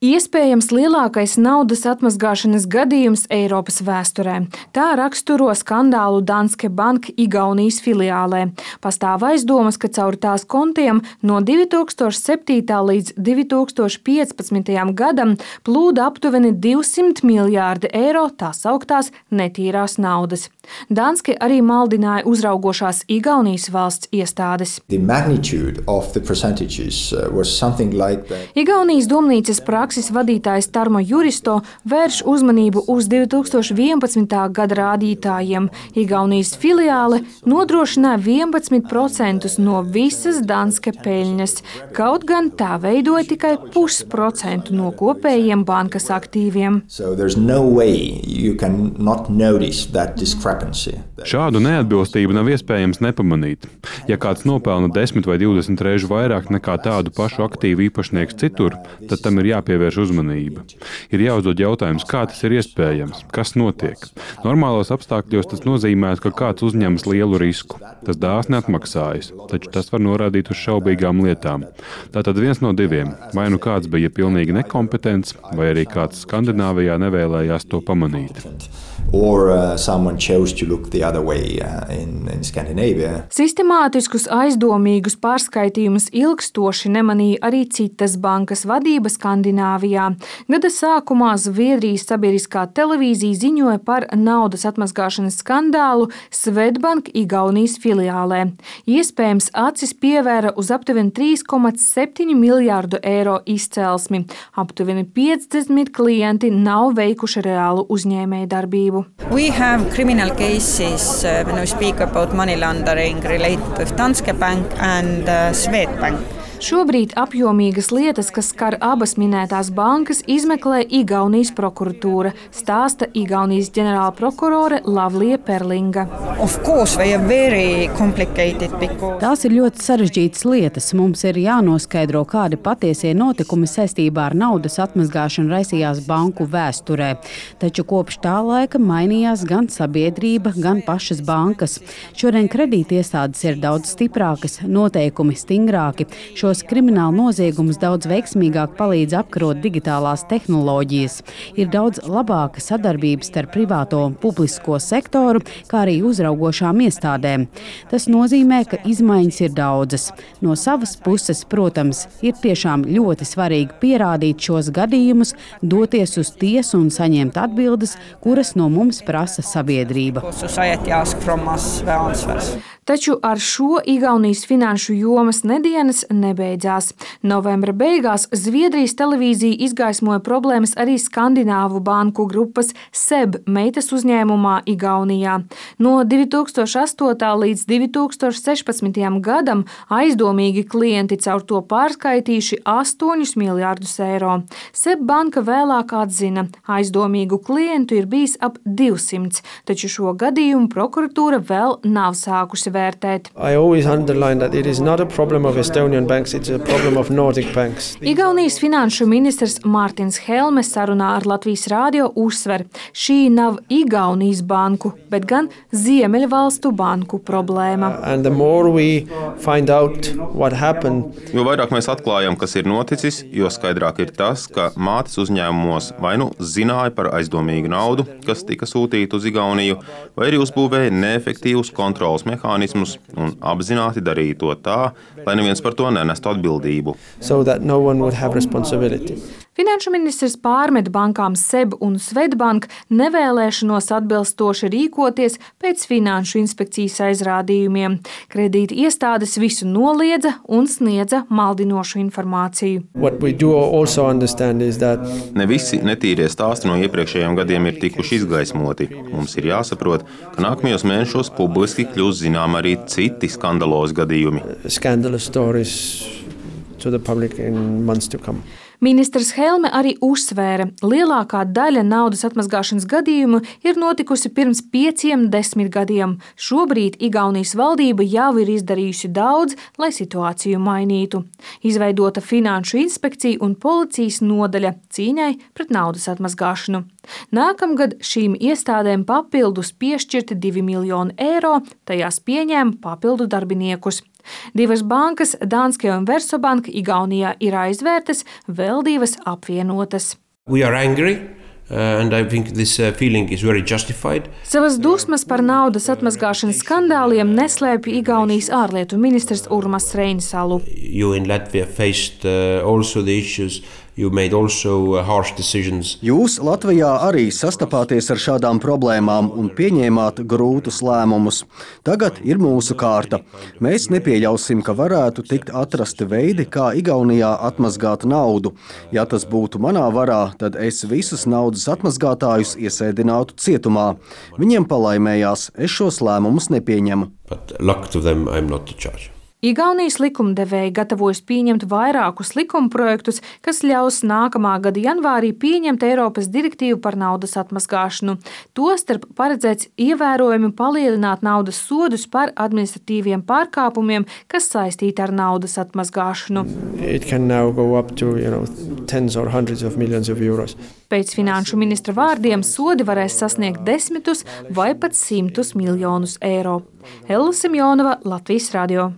Iespējams lielākais naudas atmazgāšanas gadījums Eiropas vēsturē. Tā raksturo skandālu Danske Bank Igaunijas filiālē. Pastāv aizdomas, ka caur tās kontiem no 2007. līdz 2015. gadam plūda aptuveni 200 miljārdi eiro tā sauktās netīrās naudas. Danske arī maldināja uzraugošās Igaunijas valsts iestādes. Igaunijas domnīcas prakses vadītājs Tarmo Juristo vērš uzmanību uz 2011. gada rādītājiem. Igaunijas filiāle nodrošināja 11% no visas Danske peļņas, kaut gan tā veidoja tikai 0,5% no kopējiem bankas aktīviem. Šādu neatbilstību nav iespējams nepamanīt. Ja kāds nopelna 10 vai 20 reižu vairāk nekā tādu pašu aktīvu īpašnieks citur, tad tam ir jāpievērš uzmanība. Ir jāuzdod jautājums, kā tas ir iespējams, kas notiek. Normālos apstākļos tas nozīmē, ka kāds uzņemas lielu risku. Tas dāsni atmaksājas, taču tas var norādīt uz šaubīgām lietām. Tātad viens no diviem. Vai nu kāds bija pilnīgi nekompetents, vai arī kāds Skandināvijā nevēlējās to pamanīt. Sistemātiskus aizdomīgus pārskaitījumus ilgstoši nemanīja arī citas bankas vadība Skandināvijā. Gada sākumā Zviedrijas sabiedriskā televīzija ziņoja par naudas atmazgāšanas skandālu Swedbank Igaunijas filiālē. Iespējams, acis pievēra uz aptuveni 3,7 miljārdu eiro izcelsmi. Aptuveni 50 klienti nav veikuši reālu uzņēmējdarbību. We have criminal cases when we speak about money laundering related with Danske Bank and Swedbank. Šobrīd apjomīgas lietas, kas skar abas minētās bankas, izmeklē Igaunijas prokuratūra, stāsta Igaunijas ģenerāla prokurore Lavlija Perlinga. Tās ir ļoti sarežģītas lietas. Mums ir jānoskaidro, kādi patiesie notikumi saistībā ar naudas atmazgāšanu raisījās banku vēsturē. Taču kopš tā laika mainījās gan sabiedrība, gan pašas bankas. Šodien kredītiestādes ir daudz stiprākas, noteikumi stingrāki. Šos kriminālu noziegumus daudz veiksmīgāk palīdz apkarot digitālās tehnoloģijas. Ir daudz labāka sadarbība starp privāto un publisko sektoru, kā arī uzraugošām iestādēm. Tas nozīmē, ka izmaiņas ir daudzas. No savas puses, protams, ir tiešām ļoti svarīgi pierādīt šos gadījumus, doties uz tiesu un saņemt atbildes, kuras no mums prasa sabiedrība. Taču ar šo Igaunijas finanšu jomas nedēļas nebeidzās. Novembra beigās Zviedrijas televīzija izgaismoja problēmas arī Skandināvu banku grupas SEB meitas uzņēmumā Igaunijā. No 2008. līdz 2016. gadam aizdomīgi klienti caur to pārskaitījuši 8 miljārdus eiro. SEB banka vēlāk atzina, aizdomīgu klientu ir bijis ap 200, taču šo gadījumu prokuratūra vēl nav sākusi vērtēt. Igaunijas finanšu ministrs Mārtiņš Helme sarunā ar Latvijas rādio uzsver, šī nav Igaunijas banku, bet gan Ziemeļvalstu banku problēma. Jo vairāk mēs atklājam, kas ir noticis, jo skaidrāk ir tas, ka mātes uzņēmumos vai nu zināja par aizdomīgu naudu, kas tika sūtīta uz Igauniju, vai arī uzbūvēja neefektīvus kontroles mehānismus un apzināti darīja to tā, lai neviens par to nenestu atbildību. Finanšu ministrs pārmet bankām SEB un Swedbank nevēlēšanos atbilstoši rīkoties pēc finanšu inspekcijas aizrādījumiem. Kredīti iestādes visu noliedza un sniedza maldinošu informāciju. Ne visi netīrie stāsti no iepriekšējiem gadiem ir tikuši izgaismoti. Mums ir jāsaprot, ka nākamajos mēnešos publiski kļūs zinām arī citi skandalozi gadījumi. Ministrs Helme arī uzsvēra, lielākā daļa naudas atmazgāšanas gadījumu ir notikusi pirms 5-10 gadiem. Šobrīd Igaunijas valdība jau ir izdarījusi daudz, lai situāciju mainītu. Izveidota finanšu inspekcija un policijas nodaļa cīņai pret naudas atmazgāšanu. Nākamgad šīm iestādēm papildus piešķirti 2 miljoni eiro, tajās pieņēma papildu darbiniekus. Divas bankas, Danske un Versobank, Igaunijā ir aizvērtas, vēl divas apvienotas. We are angry. And I think this feeling is very justified. Savas dusmas par naudas atmazgāšanas skandāliem neslēpj Igaunijas ārlietu ministrs Urmas Reinsalu. You in Latvia faced also the issues. You made also harsh decisions. Jūs Latvijā arī sastapāties ar šādām problēmām un pieņēmāt grūtus lēmumus. Tagad ir mūsu kārta. Mēs nepieļausim, ka varētu tikt atrasti veidi, kā Igaunijā atmazgāt naudu. Ja tas būtu manā varā, tad es visus naudas atmazgātājus iesēdinātu cietumā. Viņiem palaimējās, es šos lēmumus nepieņemu. But luck to them, I'm not the judge. Igaunijas likumdevēji gatavojas pieņemt vairākus likumprojektus, kas ļaus nākamā gada janvārī pieņemt Eiropas direktīvu par naudas atmazgāšanu. Tostarp paredzēts ievērojami palielināt naudas sodus par administratīviem pārkāpumiem, kas saistīti ar naudas atmazgāšanu. It can now go up to, tens or hundreds of millions of euros. Pēc finanšu ministra vārdiem sodi varēs sasniegt 10 vai pat 100 miljonus eiro. Hella Simjonova, Latvijas radio.